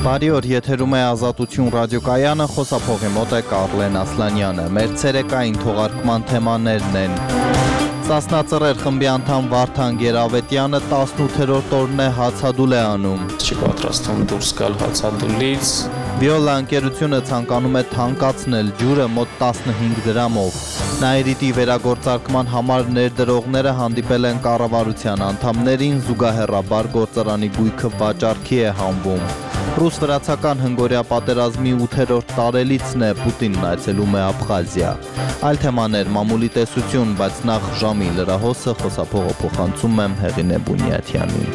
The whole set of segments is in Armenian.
Բարի օր, եթերում է Ազատություն ռադիոկայանը, խոսափողի մոտ է Կարլեն Ասլանյանը։ Մեր ցերեկային թողարկման թեմաներն են. Սասնածռեր խմբի անդամ Վարդան Գերավետյանը 18-րդ օրն է հացադուլ է անում։ Չի պատրաստվում դուրս գալ հացադուլից։ Վիոլա ընկերությունը ցանկանում է թանկացնել ջուրը մոտ 15 դրամով։ Նաիրիտի վերագործարկման համար ներդրողները հանդիպել են կառավարության անդամներին, զուգահեռաբար գործարանի գույքը վաճառքի է հանվում։ Ռուս-վրացական հնգորյա պատերազմի 8-րդ տարելիցն է, Պուտինն այցելում է Աբխազիա։ Այլ թեմաներ, մամուլի տեսություն, բայց նախ ժամի լրահոսը, խոսափողը փոխանցում եմ Հեղինե Բունյաթյանին։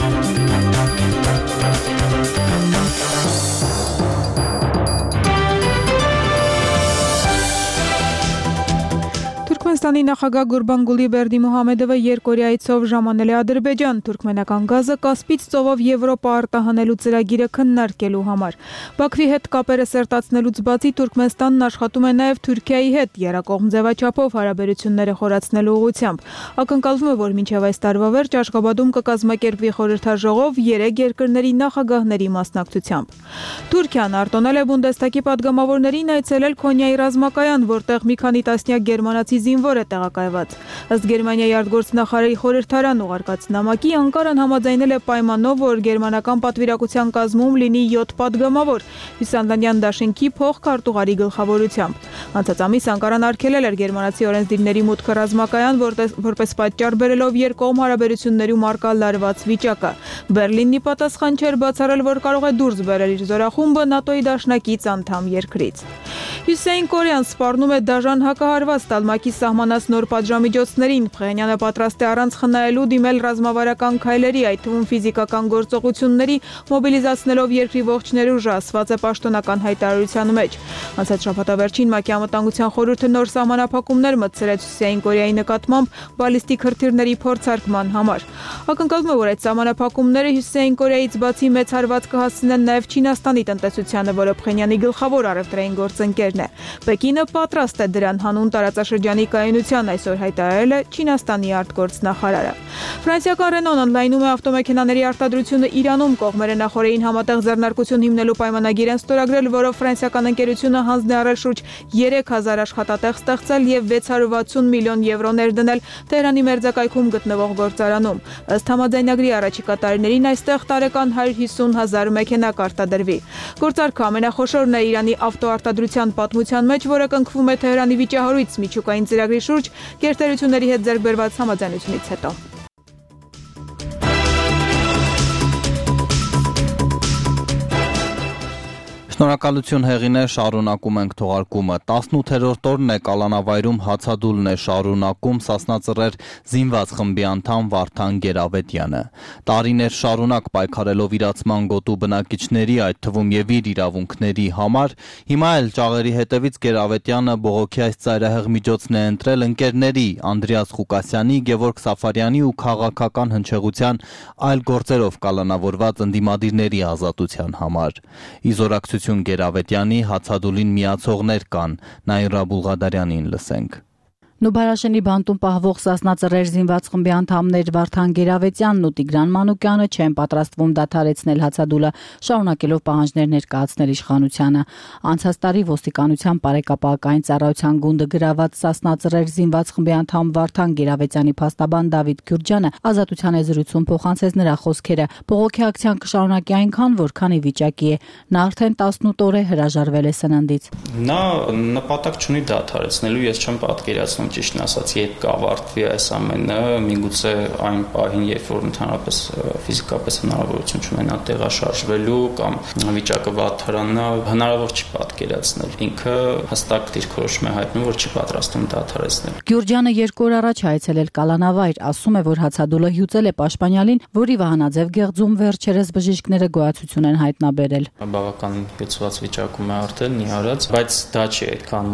Թուրքմենստանի նախագահ Գուրբանգուլի Բերդիմուհամեդովը երկօրյայցով ժամանել է Ադրբեջան, թուրքմենական գազը Կասպից ծովով Եվրոպա արտահանելու ծրագիրը քննարկելու համար։ Բաքվի հետ կապերը սերտացնելուց բացի Թուրքմենստանն աշխատում է նաև Թուրքիայի հետ երկկողմ ձևաչափով հարաբերությունները խորացնելու ուղղությամբ։ Ակնկալվում է, որ մինչև այս տարվա վերջ Աշղաբադում կկազմակերպվի խորհրդաժողով 3 երկրների նախագահների մասնակցությամբ։ Թուրքիան արտոնել է Բունդեստագի падգամավորներին այցելել Քոնյայի ռազմակայան, որտեղ մի քանի տասնյակ գերմանացի զինվոր է տեղակայված։ Ըստ Գերմանիայի արտգործնախարարի խորհրդարան ուղարկած նամակի Անկարան համաձայնել է պայմանով, որ գերմանական պատվիրակության կազմում լինի 7 падգամավոր Հյուսանդանյան դաշինքի փոխքարտուղարի գլխավորությամբ։ Անցած ամիս Անկարան արգելել էր գերմանացի օրենսդիրների մուտքը ռազմակայան, որպես պատճառ բերելով երկկողմ հարաբերություններում առկա լարված վիճակը։ Բերլինն ի պատասխան չէր բացառել, որ կարող է դուրս բերել իր զորախումբը ՆԱՏՕ-ի դաշնակից անդամ երկրից։ Հյուսիսային Կորեան սպառնում է դաժան հակահարված տալ ՄԱԿ-ի սահմանած նոր պատժամիջոցներին։ Փխենյանը պատրաստ է առանց խնայելու դիմել ռազմավարական քայլերի, այդ թվում ֆիզիկական գործողությունների, մոբիլիզացնելով երկրի ողջ ներուժը, ասված է պաշտոնական հայտարարության մեջ։ Անցած շաբաթավերջին ՄԱԿ-ի անվտանգության խորհուրդը նոր սահմանափակումներ մտցրեց Հյուսիսային Կորեայի նկատմամբ բալիստիկ հրթիռների փորձարկման համար։ Ակնկալվում է, որ այդ սահմանափակումները Հյուսիսային Կորեայից բացի մեծ հարված կհասցնեն նաև Չինաստանի տնտեսությանը, որը Փխենյանի գլխավոր առևտրային գործընկերն է։ Պեկինը պատրաստ է դրան հանուն տարածաշրջանի կայունության, այսօր հայտարարել է Չինաստանի արտգործնախարարը։ Ֆրանսիական Ռենոն ընդլայնում է ավտոմեքենաների արտադրությունը Իրանում, կողմերը նախորդին համատեղ ձեռնարկություն հիմնելու պայմանագիր են ստորագրել, որով ֆրանսիական ընկերությունը հանձն է առել շուրջ 3000 աշխատատեղ ստեղծել եւ 660 միլիոն եվրո ներդնել Թեհրանի մերձակայքում գտնվող գործարանում։ Ըստ համաձայնագրի առաջիկա տարիներին այստեղ տարեկան 150,000 մեքենա կարտադրվի։ Գործարքը ամենախոշորն է Իրանի ավտոարտադրության պատմության մեջ, որը կնքվում է Թեհրանի վիճահարույց միջուկային ծրագրի շուրջ գերտերությունների հետ ձեռք բերված համաձայնությունից հետո։ Շնորհակալություն Հեղինե, շարունակում ենք թողարկումը։ 18-րդ օրն է կալանավայրում հացադուլն է շարունակում Սասնածռեր զինված խմբի անդամ Վարդան Գերավետյանը։ Տարիներ շարունակ պայքարելով իրացման գոտու բնակիչների, այդ թվում եւ իր իրավունքների համար, հիմա էլ ճաղերի հետևից Գերավետյանը բողոքի այս ծայրահեղ միջոցն է ընտրել ընկերների Անդրեաս Ղուկասյանի, Գևորգ Սաֆարյանի ու քաղաքական հնչեղության այլ գործերով կալանավորված ընդդիմադիրների ազատության համար։ Իզորակցություն Գերավետյանի հացադուլին միացողներ կան, Նաիրա Բուլղադարյանին լսենք։ Նուբարաշենի բանտում պահվող Սասնածռեր զինված խմբի անդամներ Վարդան Գերավետյանն ու Տիգրան Մանուկյանը չեն պատրաստվում դադարեցնել հացադուլը, շարունակելով պահանջներ ներկայացնել իշխանությանը։ Անցած տարի ոստիկանության բարեկապահական ծառայության գունդը գրաված Սասնածռեր զինված խմբի անդամ Վարդան Գերավետյանի փաստաբան Դավիթ Գյուրջյանը ազատության է զրույցում փոխանցեց նրա խոսքերը։ Բողոքի ակցիան կշարունակի այնքան, որքան ի վիճակի է։ Նա արդեն 18 օր է հրաժարվել է սննդից։ Նա նպատակ չունի դադարեցնելու, ես չեմ պատկերացնում ճիշտն ասած, երբ կավարտվի այս ամենը, միգուցե այն պահին, երբ որ ընդհանրապես ֆիզիկապես հնարավորություն չունենա տեղաշարժվելու կամ վիճակը վատթարանա, հնարավոր չի պատկերացնել։ Ինքը հստակ դիրքորոշում է հայտնում, որ չի պատրաստվում դադարեցնել։ Գյուրջյանը 2 օր առաջ հայցելել Կալանավայր, ասում է, որ հացադուլը հյուծել է Պաշտպանյալին, որի Վահանաձև գեղձում վերջերս բժիշկները գոյացություն են հայտնաբերել։ Բավական գծված վիճակում է արդեն նիհարած, բայց դա չի այդքան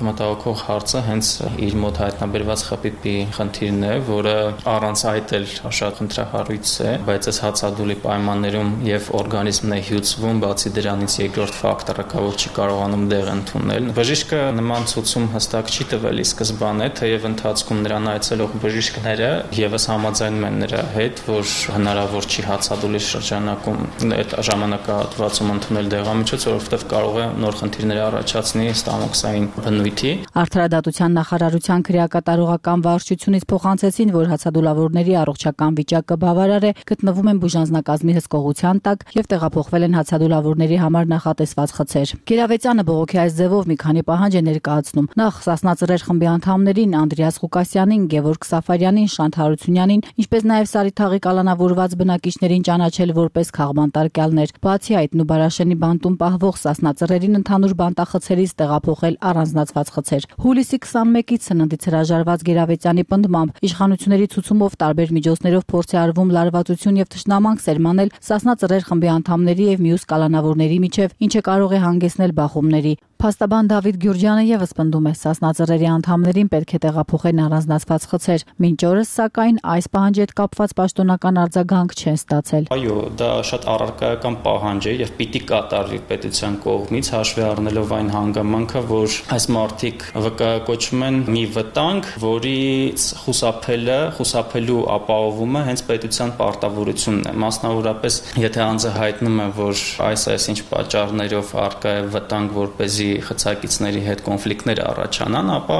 մտահոգող հարցը հենց հենց իր մոտ հայտնաբերված խփիպի խնդիրն է, որը առանց այդ էլ շատ խնդրահարույց է, բայց այս հացադուլի պայմաններում եւ օրգանիզմն է հյուծվում, բացի դրանից երկրորդ ֆակտորը կա, որ չի կարողանում դեղ ընդունել։ Բժիշկը նման ցուցում հստակ չի տվել ի սկզբանե, թեև ընթացքում նրան այցելող բժիշկները եւս համաձայնում են նրա հետ, որ հնարավոր չի հացադուլի շրջանակում այդ ժամանակահատվածում ընդունել դեղամիջոց, որովհետև կարող է նոր խնդիրներ առաջացնի ստամոքսային բնույթի։ Արդարադատության նախարարության քրեակատարողական վարչությունից փոխանցեցին, որ հացադուլավորների առողջական վիճակը բավարար է, գտնվում են բուժանձնակազմի հսկողության տակ եւ տեղափոխվել են հացադուլավորների համար նախատեսված խցեր։ Գերավեծյանը բողոքի այս ձևով մի քանի պահանջ է ներկայացնում։ Նախ Սասնա-Ծռեր խմբի անդամներին Անդրեաս Ղուկասյանին, Գևորգ Սաֆարյանին, Շանթ Հարությունյանին, ինչպես նաեւ Սարիթաղի կալանավորված բնակիչներին ճանաչել որպես քաղբանտարկյալներ։ Բացի այդ, Նուբարաշենի բանտում պահվող Սասնա-Ծռերին ընդհանուր բանտախցերից տեղափոխել առանձնացված խցեր։ Հուլիսի 21-ից սննդից հրաժարված Գերավեծյանի պնդմամբ իշխանությունների ցուցումով տարբեր միջոցներով փորձ է արվում լարվածություն եւ թշնամանք սերմանել Սասնա-Ծռեր խմբի անդամների եւ մյուս կալանավորների միջև, ինչը կարող է հանգեցնել բախումների։ Փաստաբան Դավիթ Գյուրջյանը եւս պնդում է Սասնա-Ծռերի անդամներին պետք է տեղափոխեն առանձնացված խցեր։ Մինչ օրս, սակայն, այս պահանջի հետ կապված պաշտոնական արձագանք չեն ստացել։ Այո, դա շատ առարկայական պահանջ է եւ պիտի կատարվի պետության կողմից, հաշվի առնելով այն հանգամանքը, որ այս մարտիկ վկայակոչում են մի վտանգ, որից խուսափելու ապահովումը հենց պետության պարտավորությունն է։ Մասնավորապես, եթե անձը հայտնում է, որ այսինչ պատճառներով առկա է վտանգ, որպեսզի խցակիցների հետ կոնֆլիկտներ առաջանան, ապա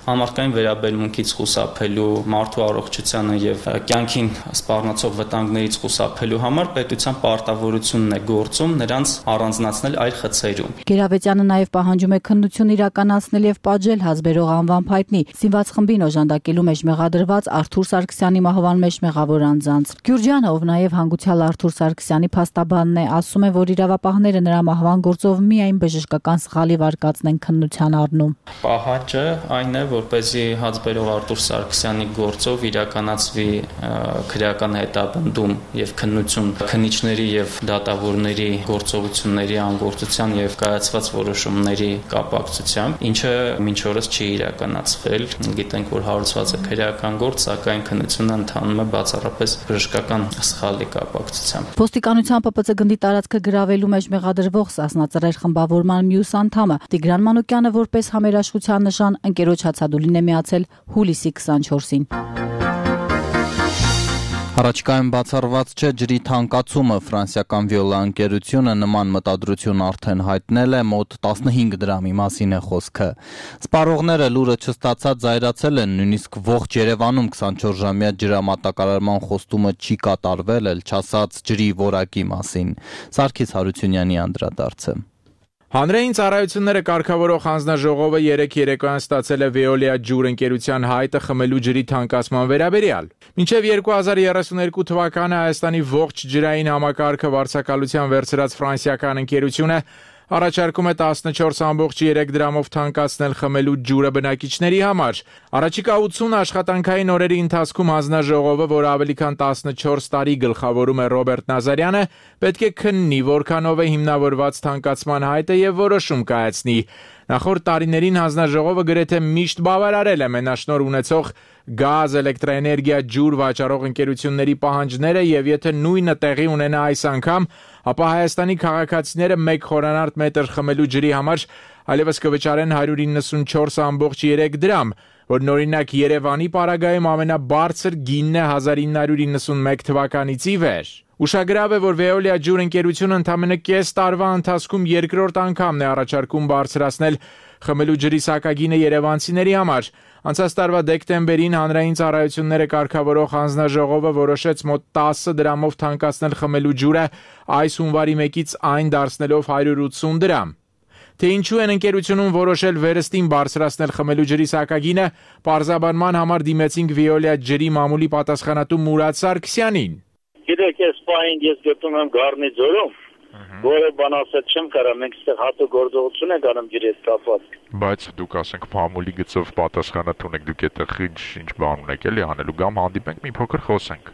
համարտկային վերաբերմունքից խուսափելու, մարդու առողջությանը եւ կյանքին սպառնացող վտանգներից խուսափելու համար պետության պարտավորությունն է գործում նրանց առանձնացնել այլ խցերում։ Գերավեծյանը նաեւ պահանջում է քննություն իրականացնել եւ պատժել հազբերող անվան փայտնի Սինված խմբին օժանդակելու մեջ մեղադրված Արթուր Սարգսյանի մահվան մեջ մեղավոր անձանց։ Գյուրջյանը, ով նաեւ հանգուցյալ Արթուր Սարգսյանի փաստաբանն է, ասում է, որ իրավապահները նրա մահվան գործով միայն բժշկական սխալի վարկածն են քննության առնում։ Պահանջը այն է, որպեսզի հազբերող Արթուր Սարգսյանի գործով իրականացվի քրեական հետապնդում եւ քննություն քննիչների եւ դատավորների գործողությունների անգործության եւ կայացված որոշումների կապակցությամբ, ինչը մինչ օրս չի իրականացվել։ Գիտենք, որ հարուցված է քրեական գործ, սակայն քննությունը ընթանում է բացառապես բժշկական սխալի կապակցությամբ։ Ոստիկանության ՊՊՑ գնդի տարածքը գրավելու մեջ մեղադրվող Սասնա-Ծռեր խմբավորման մյուս անդամը Տիգրան Մանուկյանը որպես համերաշխության նշան ընկերոջ հացադուլին է միացել հուլիսի 24-ին։ Առաջիկայում բացառված չէ ջրի թանկացումը։ Ֆրանսիական Վիոլա ընկերությունը նման մտադրություն արդեն հայտնել է, մոտ 15 դրամի մասին է խոսքը։ Սպառողները լուրը չստացած զայրացել են, նույնիսկ ողջ Երևանում 24-ժամյա ջրամատակարարման խոստումը չի կատարվել, էլ չասած ջրի որակի մասին։ Սարգիս Հարությունյանի անդրադարձը։ Հանրային ծառայությունները կարգավորող հանձնաժողովը երեկ երեկոյան ստացել է Veolia ջուր ընկերության հայտը խմելու ջրի թանկացման վերաբերյալ։ Մինչև 2032 թվականը Հայաստանի ողջ ջրային համակարգը վարձակալության վերցրած ֆրանսիական ընկերությունը առաջարկում է 14.3 դրամով թանկացնել խմելու ջուրը բնակիչների համար։ Առաջիկա 80 աշխատանքային օրերի ընթացքում հանձնաժողովը, որ ավելի քան 14 տարի գլխավորում է Ռոբերտ Նազարյանը, պետք է քննի, որքանով է հիմնավորված թանկացման հայտը եւ որոշում կայացնի։ Նախորդ տարիներին հանձնաժողովը գրեթե միշտ բավարարել է մենաշնորհ ունեցող գազ, էլեկտրաէներգիա, ջուր վաճառող ընկերությունների պահանջները եւ եթե նույնը տեղի ունենա այս անգամ, ապա Հայաստանի քաղաքացիները 1 խորանարդ մետր խմելու ջրի համար այլևս կվճարեն 194.3 դրամ, որն օրինակ Երևանի պարագայում ամենաբարձր գինն է 1991 թվականից ի վեր։ Ուշագրավ է, որ Veolia ջուր ընկերությունը ընդամենը կես տարվա ընթացքում երկրորդ անգամն է առաջարկում բարձրացնել խմելու ջրի սակագինը երևանցիների համար։ Անցած տարվա դեկտեմբերին հանրային ծառայությունները կարգավորող հանձնաժողովը որոշեց մոտ 10 դրամով թանկացնել խմելու ջուրը, այս հունվարի 1-ից այն դարձնելով 180 դրամ։ Թե ինչու են ընկերությունում որոշել վերստին բարձրացնել խմելու ջրի սակագինը, պարզաբանման համար դիմեցինք Veolia ջրի մամուլի պատասխանատու Մուրադ Սարգսյանին։ Գիտեք, այս պահին ես գտնում եմ Գառնի ձորում, որը բան ասել չեմ կարող, մենք այստեղ հատուկ գործողություն ենք անում ջրի հետ կապված։ Բայց դուք ասենք մամուլի գծով պատասխանատու եք, դուք այդտեղ ինչ բան ունեք էլի անելու, կամ հանդիպենք մի փոքր խոսենք։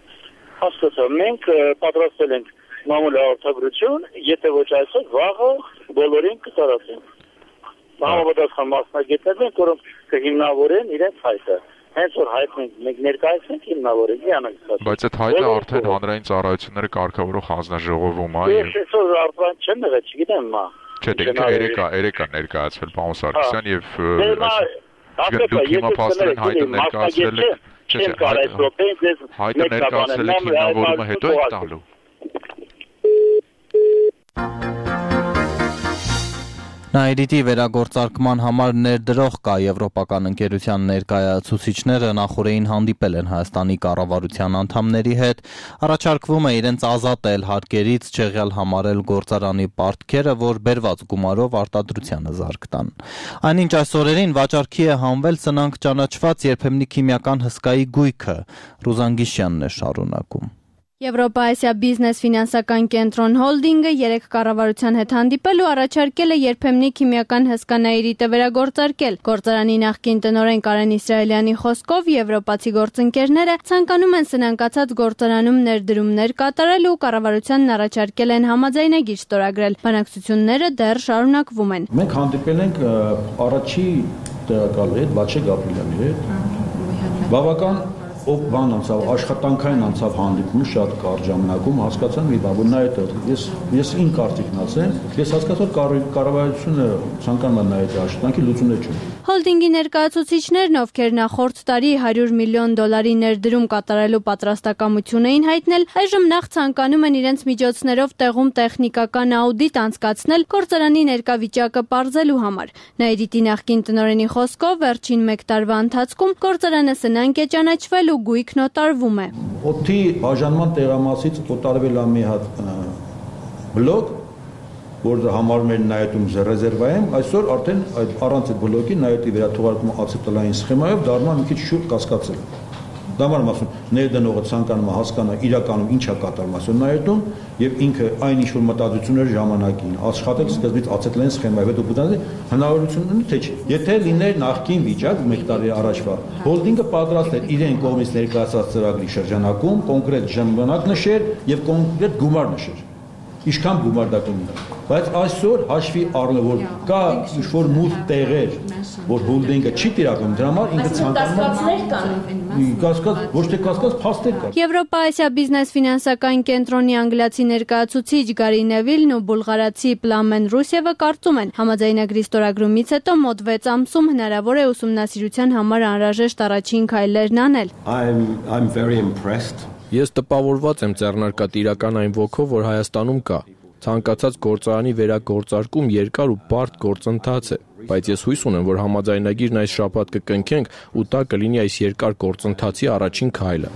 Հասկացա, մենք պատրաստել ենք մամուլի հաղորդագրություն, եթե ոչ այսօր, վաղը բոլորին կտարածենք։ համապատասխան մասնագետներ են, որոնք կհիմնավորեն իրենց հայտը։ Հենց որ հայտնենք մենք ներկայացնենք հիմնավորենք իրանք։ Բայց այդ հայտը արդեն հանրային ծառայությունները կարգավորող հանձնաժողովում է։ Ես այսօր արդեն չեմ եղել, չգիտեմ մա։ Չէ, երեկ ներկայացվել պարոն Սարգսյան եւ դուք հիմա փաստորեն հայտը ներկայացրել եք։ Հայտը ներկայացրել եք հիմնավորումը հետո եք տալու։ Նաիրիտի վերագործարկման համար ներդրող կա եվրոպական ընկերության ներկայացուցիչները նախորդին հանդիպել են Հայաստանի կառավարության անդամների հետ, առաջարկվում է իրենց ազատել հարկերից, չեղյալ համարել գործարանի պարտքերը, որ բերված գումարով արտադրությանը զարկ տան։ Այնինչ այս օրերին վաճառքի է հանվել սնանք ճանաչված երբեմնի քիմիական հսկայի գույքը, Ռուզան Գիշյանն է շարունակում։ Եվրոպա-Ասիա բիզնես ֆինանսական կենտրոն հոլդինգը երեք կառավարության հետ հանդիպել ու առաջարկել է երբեմնի քիմիական հսկա Նաիրիտը վերագործարկել։ Գործարանի նախկին տնօրեն Կարեն Իսրայելյանի խոսքով եվրոպացի գործընկերները ցանկանում են սնանկացած գործարանում ներդրումներ կատարել ու կառավարությանն առաջարկել են համաձայնագիր ստորագրել։ Բանակցությունները դեռ շարունակվում են։ Մենք հանդիպել ենք առաջի տեղակալի հետ, Բաչե Գաբրիելյանի հետ։ Բավական ով բան անցավ, աշխատանքային անցավ հանդիպումը շատ կարճ ժամանակում, հասկացան մի բան, որ նա այդ ես ին կարծիքն ասեմ, ես հասկացա կառավարությունը ցանկանում է նայել աշխատանքի լուծումներ չունի։ Հոլդինգի ներկայացուցիչներն, ովքեր նախորդ տարի $100 միլիոն ներդրում կատարելու պատրաստակամություն էին հայտնել, այժմ նախ ցանկանում են իրենց միջոցներով տեղում տեխնիկական աուդիտ անցկացնել գործարանի ներկա վիճակը պարզելու համար։ Նաիրիտի նախկին տնօրենի խոսքով վերջին 1 տարվա ընթացքում գործարանը սնանկ է ճանաչվել ու գույքն օտարվում է։ Օդի բաժանման տեղամասից օտարվել է մի հատ բլոկ, որը համարում էր նայետում ռեզերվայում, այսօր արդեն առանց այդ բլոկի նայետի վերաթողարկումը ացետալային սխեմայով դառնում է մի քիչ շուտ կասկածել։ Դա մարդ ասում, ներդնողը ցանկանում է հասկանալ իրականում ինչ է կատարվում այսօր նայետում եւ ինքը այն ինչ որ մտածություններ ժամանակին աշխատել սկզբից ացետալային սխեմայով հետո բուտանալի հնարավորություն ունի թե չէ։ Եթե լիներ նախկին վիճակ 1 տարի առաջվա, հոլդինգը պատրաստ էր իրեն կողմից ներկայացած ծրագրի շրջանակում կոնկրետ ժամանակ նշեր եւ կոնկրետ գումար նշեր։ Ինչքան գումար դա կունենա։ Բայց այսօր հաշվի առնելով որ կա ինչ-որ մութ տեղեր, որ հոլդինգը չի տիրականում, դրա համար ինքը ցանկանում է կասկած, ոչ թե կասկած, փաստեր կա։ Եվրոպա-Ասիա բիզնես ֆինանսական կենտրոնի անգլիացի ներկայացուցիչ Գարի Նևիլն ու բուլղարացի Պլամեն Ռուսևը կարծում են, համաձայնագրի ստորագրումից հետո մոտ 6 ամսում հնարավոր է ուսումնասիրության համար անհրաժեշտ առաջին քայլերն անել։ I'm very impressed. Ես տպավորված եմ ձեռնարկատիրական այն ոգով, որ Հայաստանում կա։ Ցանկացած գործարանի վերագործարկում երկար ու բարդ գործընթաց է, բայց ես հույս ունեմ, որ համաձայնագիրն այս շաբաթ կկնքենք ու դա կլինի այս երկար գործընթացի առաջին քայլը։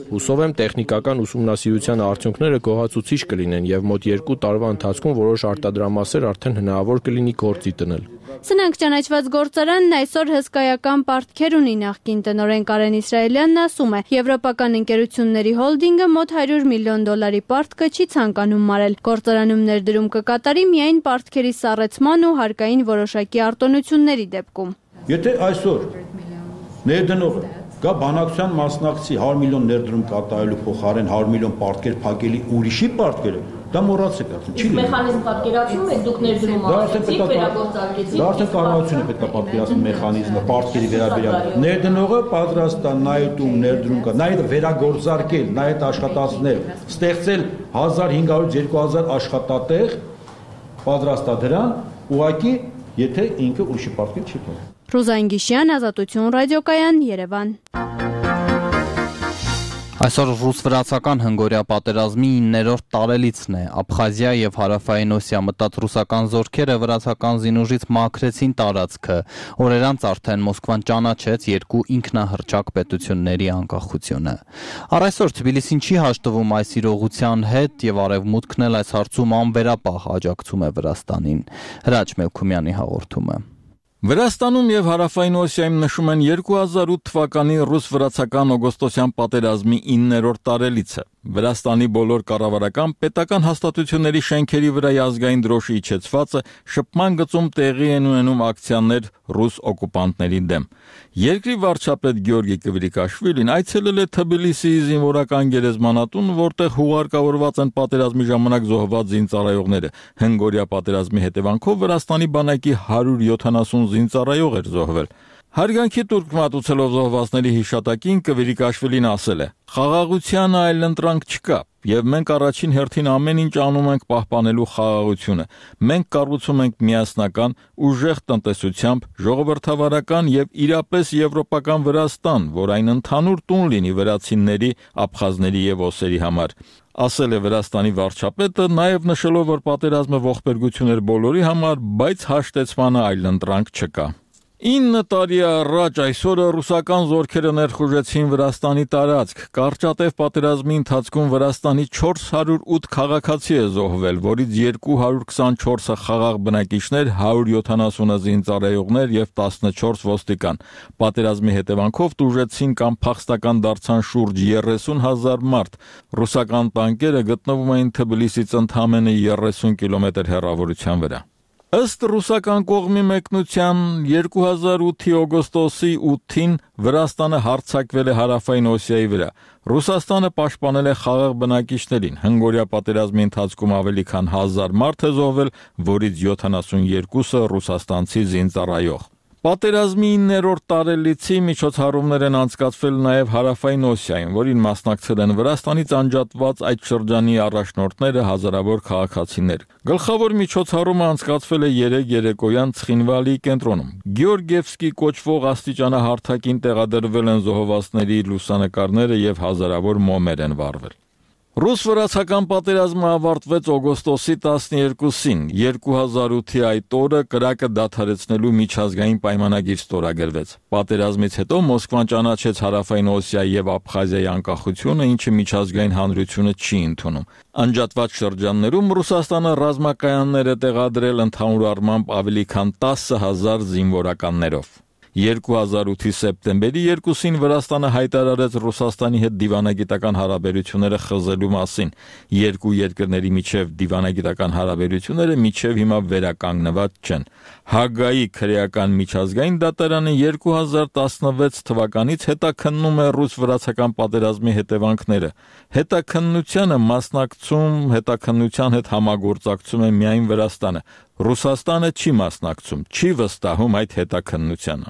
Հուսով եմ տեխնիկական ուսումնասիրության արդյունքները գոհացուցիչ կլինեն եւ մոտ 2 տարվա ընթացքում որոշ արտադրամասեր արդեն հնարավոր կլինի գործի դնել։ Սնանկ ճանաչված գործարանն այսօր հսկայական պարտքեր ունի նախկին տնօրեն Կարեն Իսրայելյանն ասում է, եվրոպական ընկերությունների հոլդինգը մոտ $100 միլիոն պարտքը չի ցանկանում մարել։ Գործարանում ներդրում կկատարի միայն պարտքերի սառեցման ու հարկային որոշակի արտոնությունների դեպքում։ Եթե այսօր ներդնողը կա բանակցության մասնակցի 100 միլիոն ներդրում կատարելու փոխարեն 100 միլիոն պարտքեր փակելի ուրիշի պարտքերը, դա մոռացեք ասում, չի լինի։ Մեխանիզմ պատկերացնում եք դուք ներդրում արեցիք, վերագործարկեցիք։ Դա արդեն կառավարությունը պետք է պատկերացնի մեխանիզմը պարտքերի վերաբերյալ։ Ներդնողը պատրաստ է նայտում ներդրում կա, նայտը վերագործարկել, նայտ աշխատացնել, ստեղծել 1500-2000 աշխատատեղ, պատրաստ է դրան, ուղղակի եթե ինքը ուրիշի պարտքեր չի փոխել։ Ռուզան Գիշյան, Ազատություն ռադիոկայան, Երևան։ Այսօր ռուս-վրացական հնգորյա պատերազմի 9-րդ տարելիցն է։ Աբխազիա եւ Հարավային Օսիա մտած ռուսական զորքերը վրացական զինուժից մաքրեցին տարածքը։ Օրեր անց արդեն Մոսկվան ճանաչեց երկու ինքնահռչակ պետությունների անկախությունը։ Առ այսօր Թբիլիսին չի հաշտվում այս իրողության հետ եւ Արևմուտքն էլ այս հարցում անվերապահ աջակցում է Վրաստանին։ Հրաչ Մելքումյանի հաղորդումը։ Վրաստանում եւ Հարավային Օսիայում նշում են 2008 թվականի ռուս-վրացական օգոստոսյան պատերազմի 9-րդ տարելիցը։ Վրաստանի բոլոր կառավարական պետական հաստատությունների շենքերի վրա ազգային դրոշի իջեցվածը, շփման գծում տեղի են ունենում ակցիաներ ռուս օկուպանտների դեմ։ Երկրի վարչապետ Գյորգի Կվրիկաշվիլին այցելել է Թբիլիսիի զինվորական գերեզմանատուն, որտեղ հուղարկավորված են պատերազմի ժամանակ զոհված զինծառայողները։ Հնգօրյա պատերազմի հետևանքով Վրաստանի բանակի 170 զինծառայող էր զոհվել։ Հարգանքի տուրք մատուցելով զոհվածների հիշատակին Կվիրիկաշվիլին ասել է. «Խաղաղության այլընտրանք չկա, եւ մենք առաջին հերթին ամեն ինչ անում ենք պահպանելու խաղաղությունը։ Մենք կառուցում ենք միասնական, ուժեղ տնտեսությամբ, ժողովրդավարական եւ իրապես եվրոպական Վրաստան, որ այն ընդհանուր տուն լինի վրացիների, աբխազների եւ օսերի համար», ասել է Վրաստանի վարչապետը, նաեւ նշելով, որ պատերազմը ողբերգություն էր բոլորի համար, բայց հաշտեցմանը այլընտրանք չկա։ 9 տարի առաջ այսօրը ռուսական զորքերը ներխուժեցին Վրաստանի տարածք։ Կարճատև պատերազմի ընթացքում Վրաստանի 408 քաղաքացի է զոհվել, որից 224-ը խաղաղ բնակիչներ, 170-ը զինծառայողներ եւ 14 ոստիկան։ Պատերազմի հետևանքով տուժեցին կամ փախստական դարձան շուրջ 30,000 մարդ։ Ռուսական տանկերը գտնվում էին Թբիլիսից ընդամենը 30 կիլոմետր հեռավորության վրա։ Ըստ ռուսական կողմի մեկնության 2008-ի օգոստոսի 8-ին Վրաստանը հարձակվել է Հարավային Օսիայի վրա։ Ռուսաստանը պաշտպանել է խաղաղ բնակիչներին։ Հնգօրյա պատերազմի ընթացքում ավելի քան 1000 մարդ է զոհվել, որից 72-ը ռուսաստանցի զինծառայող։ Պատերազմի 9-րդ տարելիցի միջոցառումներ են անցկացվել նաև Հարավային Օսիայում, որին մասնակցել են Վրաստանից անջատված այդ շրջանի առաջնորդները, հազարավոր քաղաքացիներ։ Գլխավոր միջոցառումը անցկացվել է 3 երեկոյան Ցխինվալի կենտրոնում։ Գեորգիևսկի կոչվող աստիճանահարթակին տեղադրվել են զոհվածների լուսանկարները եւ հազարավոր մոմեր են վառվել։ Ռուս-վրացական պատերազմը ավարտվեց օգոստոսի 12-ին։ 2008-ի այդ օրը կրակը դադարեցնելու միջազգային պայմանագիր ստորագրվեց։ Պատերազմից հետո Մոսկվան ճանաչեց Հարավային Օսիայի եւ Աբխազիայի անկախությունը, ինչը միջազգային հանրությունը չի ընդունում։ Անջատված շրջաններում Ռուսաստանը ռազմակայաններ է տեղադրել ընդհանուր առմամբ ավելի քան 10,000 զինվորականներով։ 2008-ի սեպտեմբերի 2-ին Վրաստանը հայտարարեց Ռուսաստանի հետ դիվանագիտական հարաբերությունները խզելու մասին։ Երկու երկրների միջև դիվանագիտական հարաբերությունները մինչև հիմա վերականգնված չեն։ Հագայի քրեական միջազգային դատարանը 2016 թվականից հետաքննում է ռուս-վրացական պատերազմի հետևանքները։ Հետաքննության հետ համագործակցում է միայն Վրաստանը։ Ռուսաստանը չի մասնակցում, չի վստահում այդ հետաքննությանը։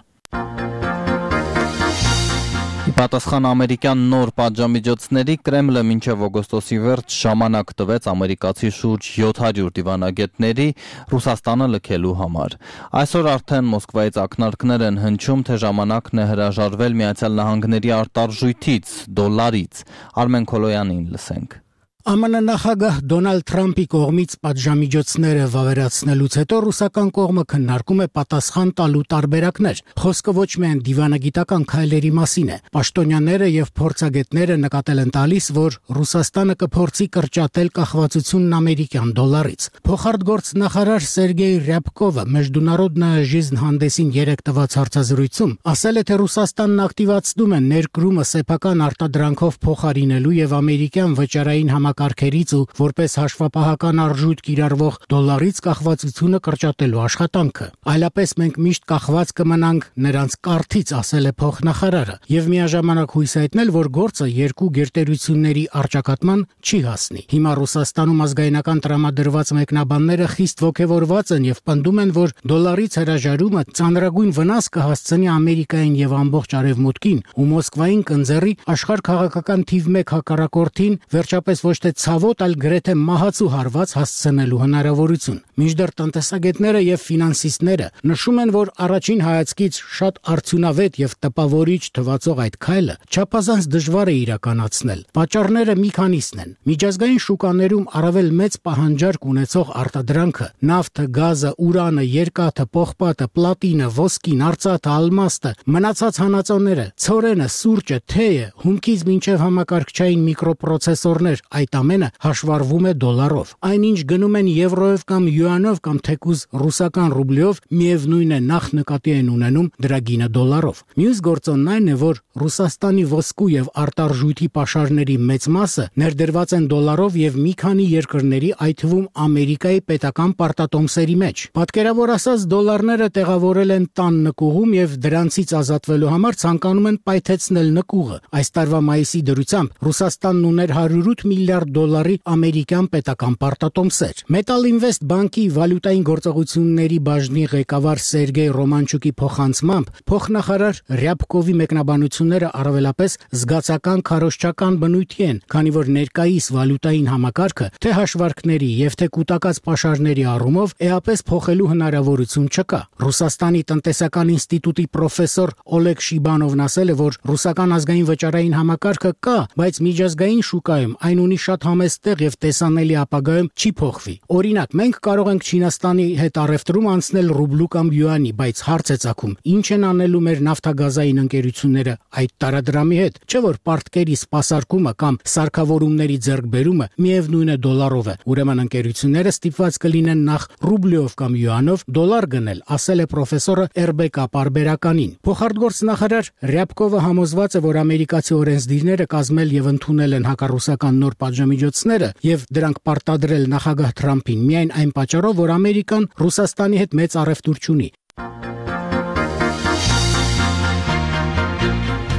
Պատասխան ամերիկյան նոր պատժամիջոցների Կրեմլը մինչև օգոստոսի վերջ ժամանակ տվեց ամերիկացի շուրջ 700 դիվանագետների Ռուսաստանը լքելու համար։ Այսօր արդեն Մոսկվայից ակնարկներ են հնչում, թե ժամանակն է հրաժարվել Միացյալ Նահանգների արտարժույթից, դոլարից։ Արմեն Քոլոյանին լսենք։ ԱՄՆ նախագահ Դոնալդ Թրամփի կողմից պատժամիջոցները վավերացնելուց հետո ռուսական կողմը քննարկում է պատասխան տալու տարբերակներ։ Խոսքը ոչ միայն դիվանագիտական քայլերի մասին է։ Պաշտոնյաները եւ փորձագետները նկատել են տալիս, որ Ռուսաստանը կփորձի կրճատել կախվածությունն ամերիկյան դոլարից։ Փոխարտգործնախարար Սերգեյ Ռյաբկովը Մեջդունարոդնայե ժիզն հանդեսին 3 տված հարցազրույցում ասել է, թե Ռուսաստանն ակտիվացնում է ներկրումը սեփական արտադրանքով փոխարինելու եւ ամերիկյան վճարային համակարգերից ու որպես հաշվապահական արժույթ կիրառվող դոլարից կախվածությունը կրճատելու աշխատանքը։ Այլապես մենք միշտ կախված կմնանք նրանց կառթից, ասել է փոխնախարարը, եւ միաժամանակ հույս հայտնել, որ գործը երկու գերտերությունների առճակատման չի հասնի։ Հիմա Ռուսաստանում ազգայնական տրամադրված մեկնաբանները խիստ ոգևորված են եւ պնդում են, որ դոլարից հրաժարումը ծանրագույն վնաս կհասցնի Ամերիկային եւ ամբողջ Արևմուտքին ու Մոսկվային կընձեռի աշխարհ քաղաքական թիվ 1 հակառակորդին վերջապես ոչ թե ցավոտ, այլ գրեթե մահացու հարված հասցնելու հնարավորություն։ Մինչդեռ տնտեսագետները եւ ֆինանսիստները նշում են, որ առաջին հայացքից շատ արդյունավետ եւ տպավորիչ թվացող այդ քայլը չափազանց դժվար է իրականացնել։ Պատճառները մի քանիսն են։ Միջազգային շուկաներում առավել մեծ պահանջարկ ունեցող արտադրանքը՝ նավթը, գազը, ուրանը, երկաթը, պողպատը, պլատինը, ոսկին, արծաթը, ալմաստը, մնացած հանածոները, ցորենը, սուրճը, թեյը, հումքից մինչև համակարգչային միկրոպրոցեսորներ, այդ այդ ամենը հաշվառվում է դոլարով։ Այնինչ գնում են եվրոյով կամ յուանով կամ թեկուզ ռուսական ռուբլիով, միևնույն է նախ նկատի են ունենում դրա գինը դոլարով։ Մյուս գործոնն այն է, որ Ռուսաստանի ոսկու եւ արտարժույթի պաշարների մեծ մասը ներդրված են դոլարով եւ մի քանի երկրների, այդ թվում Ամերիկայի պետական պարտատոմսերի մեջ։ Պատկերավոր ասած, դոլարները տեղավորել են տան նկուղում եւ դրանցից ազատվելու համար ցանկանում են պայթեցնել նկուղը։ Այս տարվա մայիսի դրությամբ Ռուսաստանն ուներ 108 միլիարդ դոլարի ամերիկյան պետական պարտատոմսեր։ Metal Invest բանկի վալյուտային գործողությունների բաժնի ղեկավար Սերգեյ Ռոմանչուկի փոխանցմամբ փոխնախարար Ռյաբկովի մեկնաբանությունները առավելապես զգացական քարոզչական բնույթի են, քանի որ ներկայիս վալյուտային համակարգը թե հաշվարկների եւ թե կൂട്ടակած պաշարների առումով էապես փոխելու հնարավորություն չկա։ Ռուսաստանի տնտեսական ինստիտուտի պրոֆեսոր Օլեգ Շիբանովն ասել է, որ ռուսական ազգային վճարային համակարգը կա, բայց միջազգային շուկայում այն ունի շատ համեստ տեղ եւ տեսանելի ապագայում չի փոխվի։ Օրինակ, մենք կարող ենք Չինաստանի հետ առևտրում անցնել ռուբլու կամ յուանի, բայց հարց է ծագում, ինչ են անելու մեր նավթագազային ընկերությունները այդ տարադրամի հետ, չէ՞ որ պարտքերի սպասարկումը կամ սարքավորումների ձեռքբերումը միևնույն է դոլարով է։ Ուրեմն ընկերությունները ստիպված կլինեն նախ ռուբլիով կամ յուանով դոլար գնել, ասել է պրոֆեսորը Էրբեկա պարբերականին։ Փոխարտգործնախարար Ռյաբկովը համոզված է, որ ամերիկացի օրենսդիրները կազմել եւ ընդունել են հակառուսական նոր պատժամիջոցները եւ դրանք պարտադրել նախագահ Թրամփին միայն այն պատճառով, որ Ամերիկան Ռուսաստանի հետ մեծ առևտուր չունի։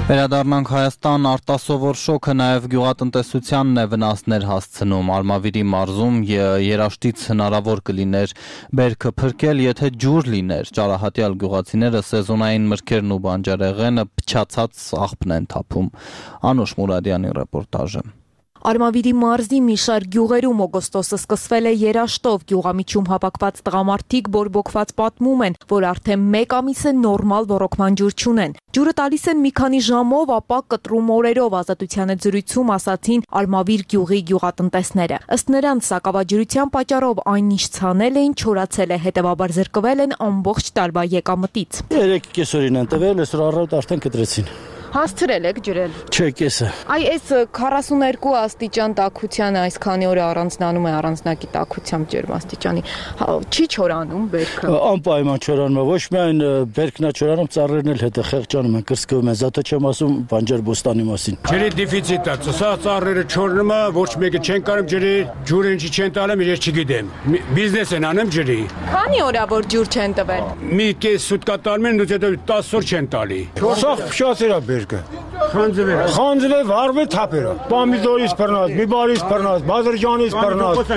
Վերադառնանք Հայաստան, արտասովոր շոկը նաև գյուղատնտեսությանն է վնասներ հասցնում։ Արմավիրի մարզում երաշտից հնարավոր կլիներ բերքը փրկել, եթե ջուր լիներ։ Ճարահատյալ գյուղացիները սեզոնային մրգերն ու բանջարեղենը փչացած աղբն են թափում։ Անուշ Մուրադյանի ռեպորտաժը։ Արմավիրի մարզի մի շարք գյուղերում օգոստոսը սկսվել է երաշտով։ Գյուղամիջում հավաքված տղամարդիկ բորբոքված պատմում են, որ արդեն 1 ամիս է նորմալ ոռոգման ջուր չունեն։ Ջուրը տալիս են մի քանի ժամով, ապա կտրում օրերով, Ազատության հետ զրույցում ասացին Արմավիր գյուղի գյուղատնտեսները։ Ըստ նրանց, սակավաջրության պատճառով այն ինչ ցանել էին, չորացել է, հետևաբար զրկվել են ամբողջ տարվա եկամտից։ 3 կեսօրին են տվել, այսօր առավոտ արդեն կտրեցին։ Հասցրել եք ջրել։ Չէ, կեսը։ Այ այս 42 աստիճան տաքությանը այսքանի օր առանձնանում է առանձնակի տաքությամբ ջերմաստիճանի։ Չի չորանում բերքը։ Անպայման չորանում է, ոչ միայն բերքն է չորանում, ծառերն էլ հետը խեղճանում են, կրսկվում են, զատո չեմ ասում բանջար բոստանի մասին։ Ջրի դեֆիցիտ է, սա ծառերը չորնում է, ոչ մեկը չեն կարող ջրի, ջուրը ինչի չեն տալեմ, ես չգիտեմ։ Բիզնես են անում ջրի։ Քանի օր է որ ջուր չեն տվել։ Մի կես սուտկա տալում են, հետո 10 օր չեն տալի։ Սաղ փշացել է Խանձվել վարվել թափերը, պամիդորից բռնած, բիբարից բռնած, բազրջանից բռնած,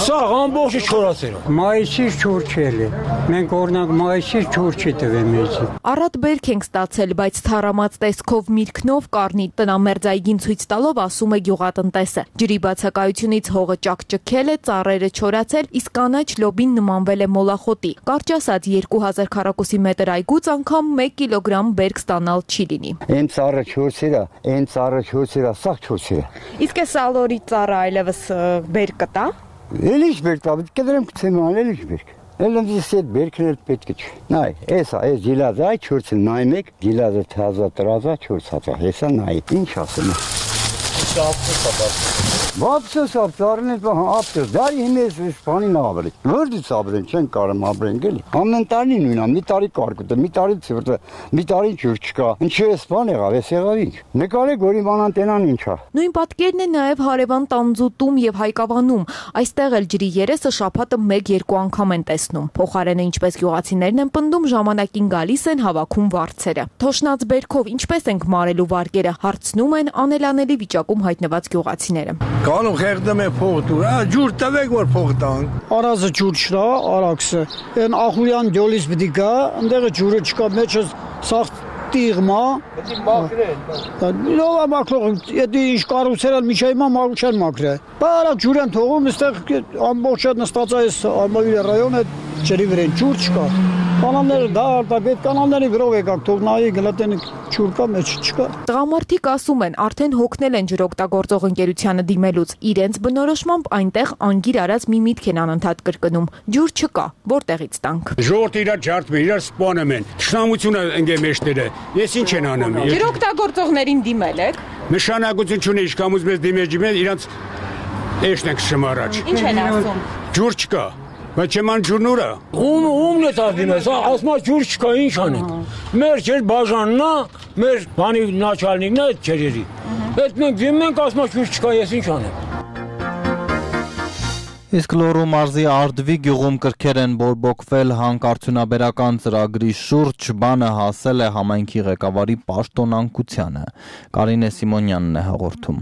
սաղ ամբողջը չորացել է։ Մայիսից ջուր չել է, մենք օրինակ մայիսից ջուր չի տվել մեջի։ Առատ բերք ենք ստացել, բայց թարամած տեսքով միրգնով կառնի տնամերձայգին ցույց տալով ասում է գյուղատնտեսը։ Ջրի բացակայությունից հողը ճակճքել է, ծառերը չորացել, իսկ կանաչ լոբին նմանվել է մոլախոտի։ Կարճ ասած 2000 քառակուսի մետր այգուց անգամ 1 կիլոգրամ բերք ստանալ չի լինի։ Այն ծառը չորսիրա, այն ծառը չորսիրա, սաղ չորսիրա։ Իսկ այս ալորի ծառը այլևս բերք կտա։ Էլի ինչ բերք տա, կդրեմ կցեման, էլի ինչ բերք։ Էլի այդ բերքն էլ պետք է։ Նայ, էսա, այս գիլազը այ չորսիլ, նայ մեկ, գիլազը թազա տրազա չորսածա, հեսա նայ, ինչ ասեմ։ Բապսս ապտարն է ապտար, դարի հիմես բանին ապրել։ Որտից ապրեն, չեն կարում ապրեն գելի։ Ամեն տարի նույնա, մի տարի կարկուտ է, մի տարի ցուրտ է, մի տարի ջուր չկա։ Ինչու էս բան եղավ, էս եղավ ինչ։ Նկարեք որ իմ անտենան ինչ է։ Նույն պատկերն է նաև հարևան Տանձուտում եւ Հայկավանում։ Այստեղ էլ ջրի երեսը շաբաթը 1-2 անգամ են տեսնում։ Փոխարենը ինչպես գյուղացիներն են պնդում, ժամանակին գալիս են հավաքում վարձերը։ Թոշնած բերքով ինչպես ենք մարելու վարկերը, հարցնում են անելանելի վիճակում հայտնված գյուղացիները։ Կանոն խեղդում է փող դուր, ջուր տվեք որ փող տանք։ Արազը ջուր չկա, արաքսը։ Այն ախուրյան դյոլից պիտի գա, այնտեղը ջուրը չկա, մեջը սաղ տիղմա։ Պետք է մաքրեն։ Լովա մաքրող, եթե ինչ կառուցել են միջայմա մաքրու չեն մաքրել։ Բարակ ջուր են թողում, այստեղ ամբողջ նստած է այս Արմավիրի ռայոնը ջրի վրան ջուր չկա։ Կանալները դա արտագետ կանալների վրով եկակ թող նայի գլատեն ջուր կա մեջ չկա։ Տղամարդիկ ասում են, արդեն հոգնել են ջրօգտագործող ընկերությանը դիմելուց։ Իրենց բնորոշմամբ այնտեղ անգիր արած մի միտք են անընդհատ կրկնում։ Ջուր չկա, որտեղից տանք։ Ժողովուրդը իրար ջարդում են, իրար սպանում են։ Թշնամությունը ընկե մեջները։ Ես ինչ են անում։ Ջրօգտագործողներին դիմել եք։ Նշանակություն չունի, ինչքան ուզում ես դիմել, իրանց Էշն ենք շմ առաջ։ Ինչ են ասում։ Ջուր չկա։ Բայց չեման ջուրն ուրա։ Ումն է տածին ես, ասմա ջուր չկա, ինչ անենք։ Մեր չեր բաժանն է, մեր բանի նաչալնիկն է այդ չերերի։ Այդ մենք դիմում ենք, ասմա ջուր չկա, ես ինչ անեմ։ Իսկ Լոռու մարզի Արդվի գյուղում կրքեր են բորբոքվել հանքարդյունաբերական ծրագրի շուրջ, բանը հասել է համայնքի ղեկավարի պաշտոնանկությանը։ Կարինե Սիմոնյանն է հաղորդում։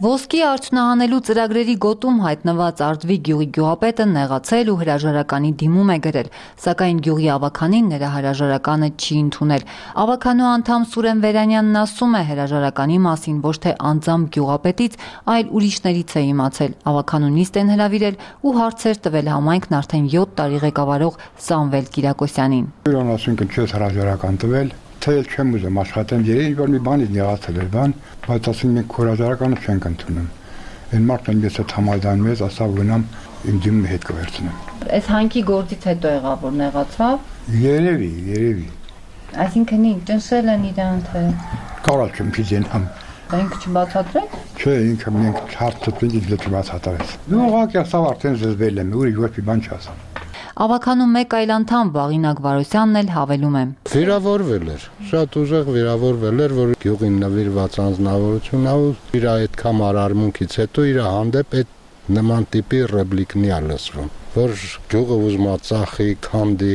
Ոսկի արդյունահանելու ծրագրերի գոտում հայտնված Արդվի գյուղի գյուղապետը նեղացել ու հրաժարականի դիմում է գրել, սակայն գյուղի ավականին նրա հրաժարականը չի ընդունել։ Ավականու անդամ Սուրեն Վերանյանն ասում է հրաժարականի մասին ոչ թե անձամբ գյուղապետից, այլ ուրիշներից է իմացել։ Ավականու նիստ են հրավիրել ու հարցեր տվել համայնքն արդեն 7 տարի ղեկավարող Սամվել Կիրակոսյանին։ Իրան ասում են չես հրաժարական տվել, թե չեմ ուզում աշխատեմ, երբ որ մի բանից նեղացել էր բան, բայց ասում ենք հրաժարականը չենք ընդունում։ Այն մարդն ես այդ համայնքն մեզ ասա գնամ իմ դիմը հետ կվերցնեմ։ Այս հանքի գործից հետո եղավ որ նեղացավ։ Երևի։ Այսինքն ճնշել են իրան թե կարալ չեմ փիզենամ։ Ինքը չբացատրեց։ Չէ, ինքը մենք հարցրեցինք, ինքը չբացատրեց։ Դու ուղղակի ասավ արդեն զզվել եմ, ուրիշ ոչ մի բան չասամ։ Ավականու մեկ այլ անդամ Վաղինակ Վարոսյանն էլ հավելում է։ Վիրավորվել էր, շատ ուժեղ վիրավորվել էր, որ գյուղին նվիրված անձնավորություն ա ու իր այդքան արարմունքից հետո իր հանդեպ այդ նման տիպի ռեպլիկնի ա լսվում, որ գյուղը ուզում ա ծախի, քանդի։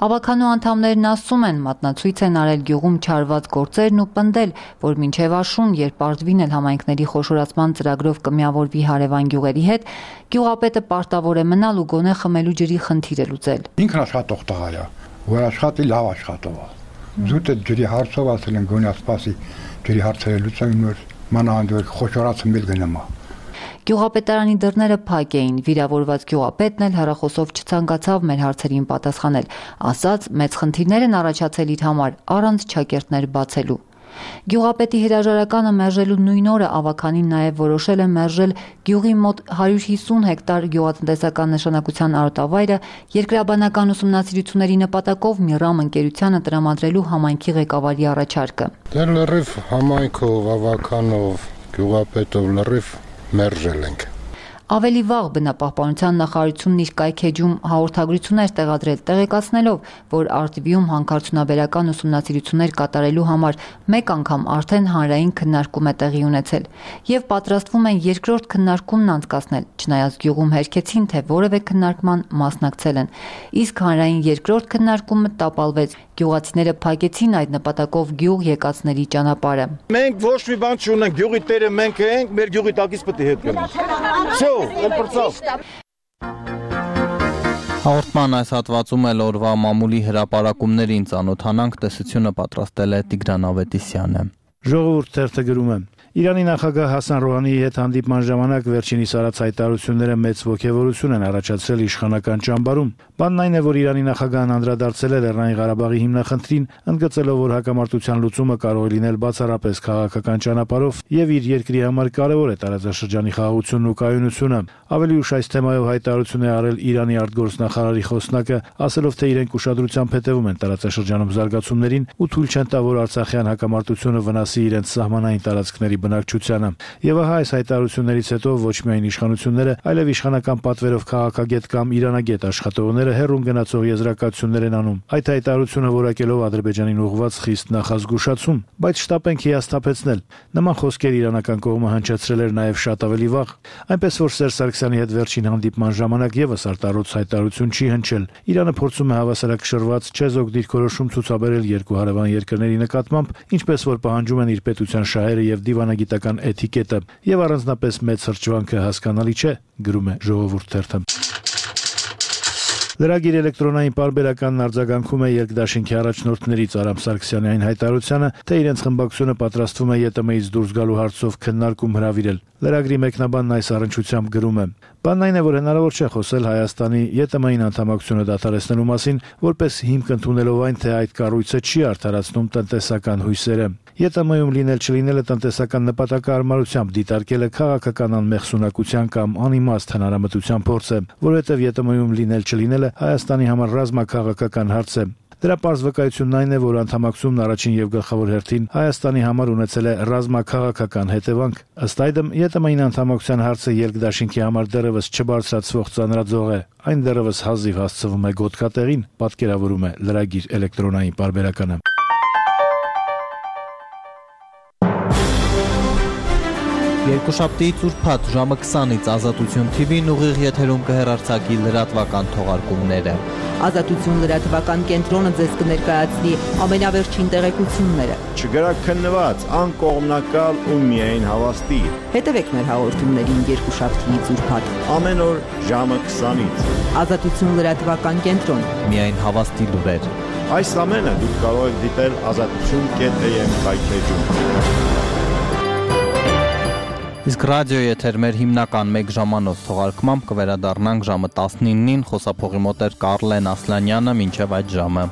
Ավականու անդամներն ասում են, մատնացույց են արել գյուղում չարված գործերն ու պնդել, որ մինչև աշուն, երբ Արդվին էլ համայնքների խոշորացման ծրագրով կմիավորվի հարևան գյուղերի հետ, գյուղապետը պարտավոր է մնալ ու գոնե խմելու ջրի խնդիրը լուծել։ Ինքն աշխատող տղա է, որ աշխատի լավ աշխատող է։ Զուտ այդ ջրի հարցով ասել են գոնե ասպասի ջրի հարցերը լուծեն նոր մանավանդ որ խոշորացում գնամա։ Գյուղապետարանի դռները փակ էին, վիրավորված գյուղապետն էլ հեռախոսով չցանկացավ մեր հարցերին պատասխանել, ասաց մեծ խնդիրներ են առաջացել իր համար, առանց չակերտներ բացելու։ Գյուղապետի հրաժարականը մերժելու նույն օրը ավականին նաև որոշել է մերժել գյուղի մոտ 150 հեկտար գյուղատնտեսական նշանակության արոտավայրը երկրաբանական ուսումնասիրությունների նպատակով Միրամ ընկերությանը տրամադրելու համայնքի ղեկավարի առաջարկը։ Դե լրիվ համայնքով, ավականով, գյուղապետով լրիվ մերժել ենք։ Ավելի վաղ բնապահպանության նախարարությունն իր կայքեջում հաղորդագրություններ տեղադրել, տեղեկացնելով, որ Արդվիում հանքարդյունաբերական ուսումնասիրություններ կատարելու համար մեկ անգամ արդեն հանրային քննարկում է տեղի ունեցել եւ պատրաստվում են երկրորդ քննարկումն անցկացնել, չնայած գյուղում հերքեցին, թե որևէ քննարկման մասնակցել են։ Իսկ հանրային երկրորդ քննարկումը տապալվեց։ Գյուղացիները փակեցին այդ նպատակով գյուղ եկածների ճանապարհը։ Մենք ոչ մի բան չունենք, գյուղի տերը մենք ենք, մեր գյուղի տակից պետք է հետ գնանք։ Հաղորդման այս հատվածում էլ օրվա մամուլի հրապարակումներին ծանոթանանք, տեսությունը պատրաստել է Տիգրան Ավետիսյանը։ Ժողովուրդ թերթը գրում է. Իրանի նախագահ Հասան Ռոհանիի հետ հանդիպման ժամանակ վերջինիս արած հայտարարությունները մեծ ոգևորություն են առաջացրել իշխանական ճամբարում։ Բանն այն է, որ Իրանի նախագահն անդրադարձել է Լեռնային Ղարաբաղի հիմնախնդրին, ընդգծելով, որ հակամարտության լուծումը կարող է լինել բացառապես քաղաքական ճանապարհով եւ իր երկրի համար կարեւոր է տարածաշրջանի խաղաղությունն ու կայունությունը։ Ավելի ուշ այս թեմայով հայտարարություն է արել Իրանի արտգործնախարարի խոսնակը, ասելով, թե իրենք ուշադրությամբ հետևում են տարածաշրջանում զարգացումներին ու թույլ չեն տա, որ Արցախյան հակամարտությունը վնասի իրենց սահմանային տարածքների բնակչությանը։ Եվ ահա այս հայտարարություններից հետո ոչ միայն իշխանությունները, այլև իշխանական պատվերով քաղաքագետ կամ իրանագետ աշխատողները հեռուն գնացող եզրակացություններ են անում։ Այդ հայտարարությունը որակելով Ադրբեջանին ուղղված խիստ նախազգուշացում, բայց շտապ ենք հիասթափեցնել։ Նման խոսքեր իրանական կողմը հնչեցրել էր նաև շատ ավելի վաղ, այնպես որ Սերժ Սարգսյանի հետ վերջին հանդիպման ժամանակ եւս արտարոց հայտարարություն չի հնչել։ Իրանը փորձում է հավասարակշռված չեզոք դիրքորոշում ցուցաբերել երկու հարևան երկրների նկատմամբ, ինչպես որ պահանջում են իր պետության շահերը եւ դիվանագիտական էթիկետը, եւ առանձնապես մեծ հրճվանքը հասկանալի չէ, գրում է Ժողովուրդ թերթը։ Լրագիր էլեկտրոնային պարբերականն արձագանքում է երկդաշինքի առաջնորդներից Արամ Սարգսյանի այն հայտարարությանը, թե իրենց խմբակցությունը պատրաստվում է ԵՏՄ-ից դուրս գալու հարցով քննարկում հրավիրել։ Լրագրի մեկնաբանն այս առնչությամբ գրում է. Բանն այն է, որ հնարավոր չէ խոսել Հայաստանի ԵՏՄ-ին անդամակցությունը դադարեցնելու մասին, որպես հիմք ընդունելով այն, թե այդ կառույցը չի արդարացնում տնտեսական հույսերը։ ԵՏՄ-ում լինել չլինելը տնտեսական նպատակահարմարությամբ դիտարկելը քաղաքական անմեղսունակության կամ անիմաստ հնարամտության փորձ է, որովհետև ԵՏՄ-ում լինել չլինելը Հայաստանի համար ռազմաքաղաքական հարց է։ Դրա պարզ վկայությունն այն է, որ անդամակցումն առաջին եւ գլխավոր հերթին Հայաստանի համար ունեցել է ռազմաքաղաքական հետևանք։ Ըստ այդմ, ԵՏՄ-ին անդամակցության հարցը երկդաշինքի համար դեռևս չբարձրացվող ծանրաձող է, այն դեռևս հազիվ հասցվում է գոտկատեղին, պատկերավորում է լրագիր էլեկտրոնային պարբերականը։ Երկուշաբթի ծուրփաթ ժամը 20-ից Ազատություն TV-ն ուղիղ եթերում կհեռարձակի լրատվական թողարկումները։ Ազատություն լրատվական կենտրոնը ձեզ կներկայացնի ամենավերջին տեղեկությունները։ Չգրաքննված, անկողմնակալ ու միայն հավաստի։ Հետևեք մեր հաղորդումներին երկուշաբթի ծուրփաթ։ Ամեն օր ժամը 20-ից։ Ազատություն լրատվական կենտրոն։ Միայն հավաստի լուրեր։ Այս ամենը դուք կարող եք դիտել azatutun.am կայքեջում։ Իսկ ռադիոյի եթեր մեր հիմնական 1 ժամանոց թողարկմամբ կվերադառնանք ժամը 19-ին, խոսափողի մոտ էր Կարլեն Ասլանյանը, մինչև այդ ժամը։